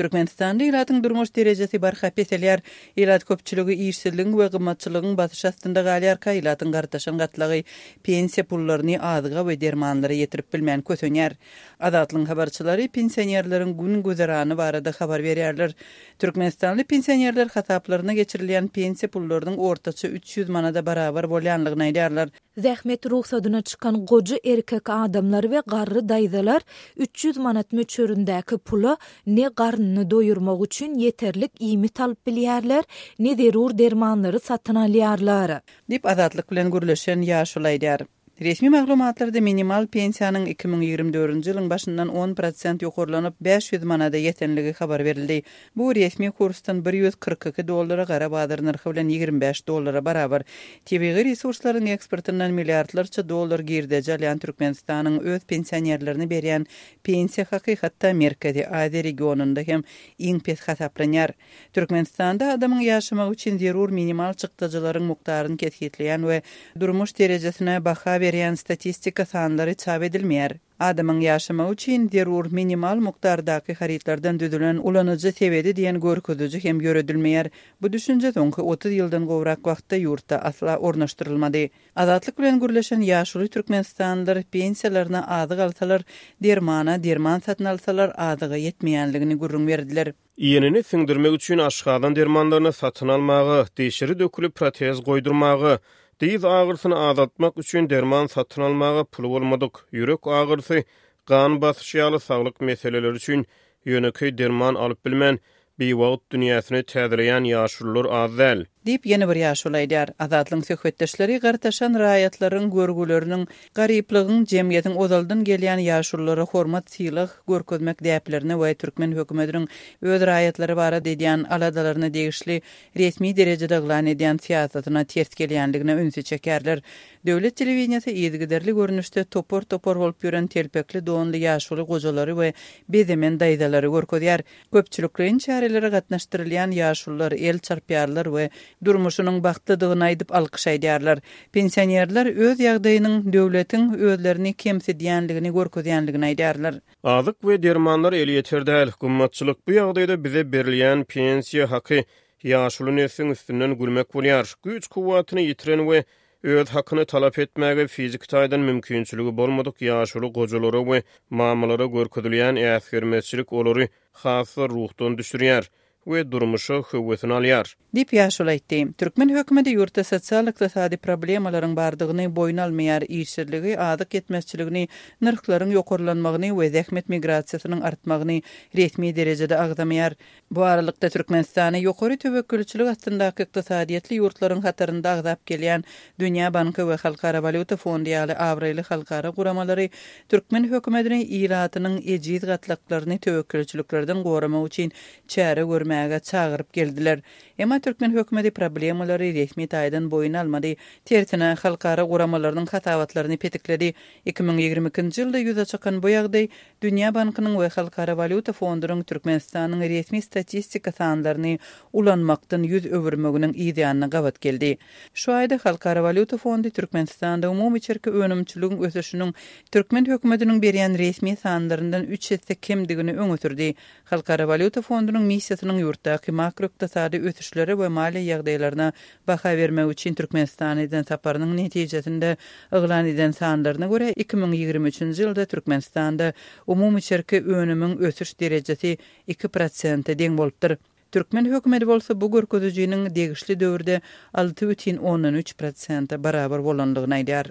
Türkmenistanda ilatyň durmuş derejesi barha peselýär. Ilat köpçüligi işsizligiň we gymmatçylygyň basyşy astynda galýarka, ilatyň gartaşan gatlagy pensiýa pullaryny azyga we dermanlara ýetirip bilmän kösenýär. Azatlygyň habarçylary pensionerleriň gün-güzerany barada habar berýärler. Türkmenistanly pensionerler hasaplaryna geçirilýän pensiýa pullarynyň ortaça 300 manada barabar bolýanlygyny aýdýarlar. Zähmet rugsadyna çykan goja erkek adamlar we garry daýzalar 300 manat möçberindäki pula ne garnyny doýurmak üçin ýeterlik iýmit alyp bilýärler, ne zerur dermanlary satyn alýarlar. Diýip, Azatlyk bilen gürleşen ýaşuly aýdýar. Resmi maglumatlarda minimal pensiýanyň 2024-nji ýylyň başyndan on prosent ýokarlanyp, 500 manada ýetenligi habar berildi. Bu resmi kursdan 142 dollara, gara bazar nyrhy bilen 25 dollara barabar. Tebigy resurslaryň eksportyndan milliardlarça dollar girdeji alýan Türkmenistanyň öz pensionerlerine berýän pensiýa haky hatda Merkezi Aziýa regionynda hem iň pes hasaplanýar. Türkmenistanda adamyň ýaşamagy üçin zerur minimal çykdajylaryň mukdaryny kesgitleýän we durmuş derejesine baha berýän statistika sanlary çap edilmeýär. Adamyň ýaşamagy üçin zerur minimal mukdardaky harytlardan düzülen ulanyjy sebedi diýen görkeziji hem ýöredilmeýär. Bu düşünje soňky 30 ýyldan gowrak wagtda ýurtda asla ornaşdyrylmady. Azatlyk bilen gürleşen ýaşuly türkmenistanlylar pensiýalaryna azyk alsalar, dermana derman satyn alsalar azyga ýetmeýänligini gürrüň berdiler. Iýenini siňdirmek üçin aşgazan dermanlaryny satyn almaga, dişleri dökülip protez goýdurmaga, dyz agyrsyny azaltmak üçin derman satyn almaga puly bolmadyk, ýürek agyrysy, gan basyşy ýaly saglyk meseleleri üçin ýönekeý derman alyp bilmän, biwagt dünýäsini täzeleýän ýaşulular az däl. Diýip, ýene bir ýaşuly aýdýar. Azatlygyň söhbetdeşleri gartaşan raýatlaryň görgüleriniň, garyplygyň jemgyýetiň ozaldan gelýän ýaşululara hormat-sylag görkezmek däplerine we türkmen hökümetiniň öz raýatlary barada edýän aladalaryna degişli resmi derejede yglan edýän syýasatyna ters gelýändigine ünsi çekýärler. Döwlet telewideniýesi yzygiderli görnüşde topar-topar bolup ýören telpekli donly ýaşuly gojalary we bezemen daýzalary görkezýär. Köpçülikleýin çärelere gatnaşdyrylýan ýaşulular el çarpýarlar we durmuşynyň bagtlydygyny aýdyp alkyş aýdýarlar. Pensionerler öz ýagdaýynyň döwletiň özlerini kemsidýänligini görkezýänligini aýdýarlar. Azyk we dermanlar elýeter däl, gymmatçylyk bu ýagdaýda bize berilýän pensiýa haky ýaşuly nesliň üstünden gülmek bolýar. Güýç-kuwwatyny ýitiren we öz hakyny talap etmäge fiziki taýdan mümkinçiligi bolmadyk ýaşuly gojalara we mamalara görkezilýän äsgermezçilik olary has-da ruhdan düşürýär we durmuşa höwesini alýar. Diýip, ýaşuly aýtdy. Türkmen hökümeti ýurtda sosial-ykdysady problemalaryň bardygyny boýun almaýar, işsizligi, azyk ýetmezçiligini, nyrhlaryň ýokarlanmagyny we zähmet migrasiýasynyň artmagyny resmi derejede agzamaýar. Bu aralykda, Türkmenistany ýokary töwekgelçilik astyndaky ykdysadyýetli ýurtlaryň hatarynda agzap gelýän Dünýä banky we Halkara walýuta fondy ýaly abraýly halkara guramalary türkmen hökümetini ilatynyň ejiz gatlaklaryny töwekgelçiliklerden goramak üçin çäre görmäge çagyryp geldiler. Emma türkmen hökümeti problemalary resmi taýdan boýun almady, tersine, halkara guramalarynyň hasabatlaryny petikledi. 2022-nji ýylda ýüze çykan bu ýagdaý Dünýä bankynyň we Halkara walýuta fondunyň Türkmenistanyň resmi statistika sanlaryny ulanmakdan ýüz öwürmeginiň yzýanyna gabat geldi. Şu aýda Halkara walýuta fondy Türkmenistanda umumy içerki önümçiligiň ösüşiniň türkmen hökümetiniň berýän resmi sanlaryndan üç esse kemdigini öňe sürdi. Halkara walýuta fondunyň missiýasynyň ýurtdaky makroykdysady ösüşlere we maliýe ýagdaýlaryna baha bermek üçin Türkmenistana eden saparynyň netijesinde yglan eden sanlaryna görä, 2023-nji ýylda Türkmenistanda umumy içerki önümiň ösüş derejesi iki prosente deň bolupdyr. Türkmen hökümeti bolsa bu görkezijiniň degişli döwürde 6,3 prosente barabar bolandygyny aýdýar.